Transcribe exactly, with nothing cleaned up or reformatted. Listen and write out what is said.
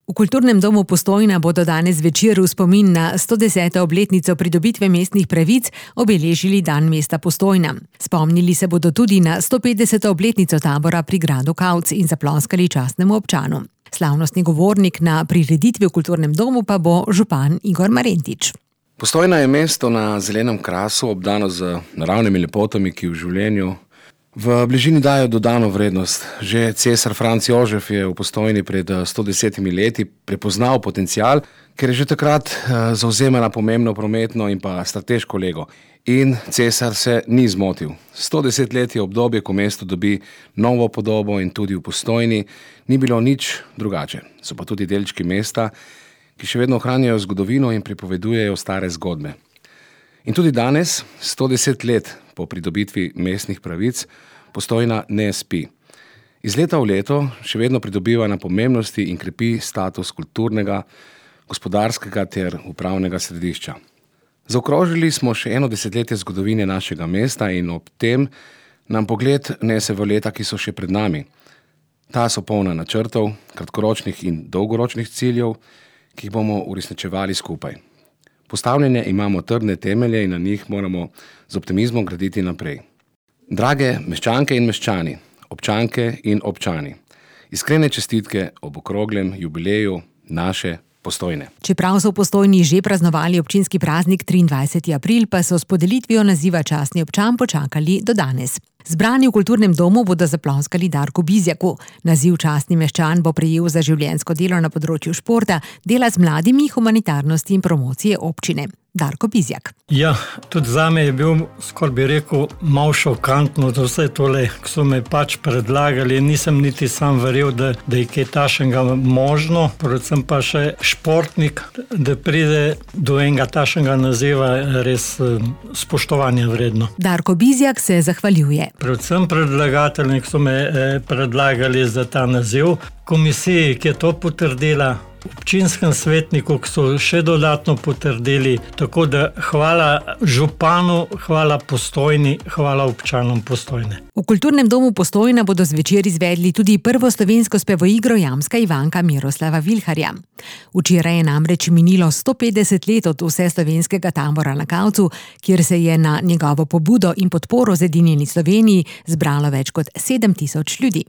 V Kulturnem domu Postojna bodo danes zvečer v spomin na sto deseto obletnico pridobitve mestnih pravic obeležili dan mesta Postojna. Spomnili se bodo tudi na sto petdeseto obletnico tabora pri gradu Kavc in zaploskali častnemu občanu. Slavnostni govornik na prireditvi v Kulturnem domu pa bo župan Igor Marentič. Postojna je mesto na zelenem krasu, obdano z naravnimi lepotami, ki v življenju v bližini dajo dodano vrednost. Že cesar Franc Jožef je v Postojni pred sto desetimi leti prepoznal potencial, ker je že takrat zavzemala pomembno prometno in pa strateško lego. In cesar se ni zmotil. sto deset let je obdobje, ko mesto dobi novo podobo in tudi v Postojni ni bilo nič drugače. So pa tudi delčki mesta, ki še vedno ohranjajo zgodovino in pripovedujejo stare zgodbe. In tudi danes, sto deset let po pridobitvi mestnih pravic, Postojna ne spi. Iz leta v leto še vedno pridobiva na pomembnosti in krepi status kulturnega, gospodarskega ter upravnega središča. Zaokrožili smo še eno desetletje zgodovine našega mesta in ob tem nam pogled nese v leta, ki so še pred nami. Ta so polna načrtov, kratkoročnih in dolgoročnih ciljev, ki jih bomo uresničevali skupaj. Postavljene imamo trdne temelje in na njih moramo z optimizmom graditi naprej. Drage meščanke in meščani, občanke in občani, iskrene čestitke ob okroglem jubileju naše Postojne. Čeprav so v Postojni že praznovali občinski praznik triindvajseti april, pa so s podelitvijo naziva častni občan počakali do danes. Zbrani v Kulturnem domu bodo zaploskali Darku Bizjaku. Naziv častni meščan bo prejel za življenjsko delo na področju športa, dela z mladimi, humanitarnosti in promocije občine. Darko Bizjak. Ja, tudi zame je bil, skoraj bi rekel, malo šokantno, da vse tole, ki so me pač predlagali, nisem niti sam verjel, da, da je kaj tašenga možno, predvsem pa še športnik, da pride do enega tašenga naziva res spoštovanja vredno. Darko Bizjak se zahvaljuje. Predvsem predlagatelji, ki so me eh, predlagali za ta naziv, komisiji, ki je to potrdila, občinskem svetniku, ki so še dodatno potrdili, tako da hvala županu, hvala Postojni, hvala občanom Postojne. V Kulturnem domu Postojna bodo zvečer izvedli tudi prvo slovensko spevoigro Jamska Ivanka Miroslava Vilharja. Včeraj je namreč minilo sto petdeset let od vseslovenskega tabora na Kavcu, kjer se je na njegovo pobudo in podporo Zedinjeni Sloveniji zbralo več kot sedem tisoč ljudi.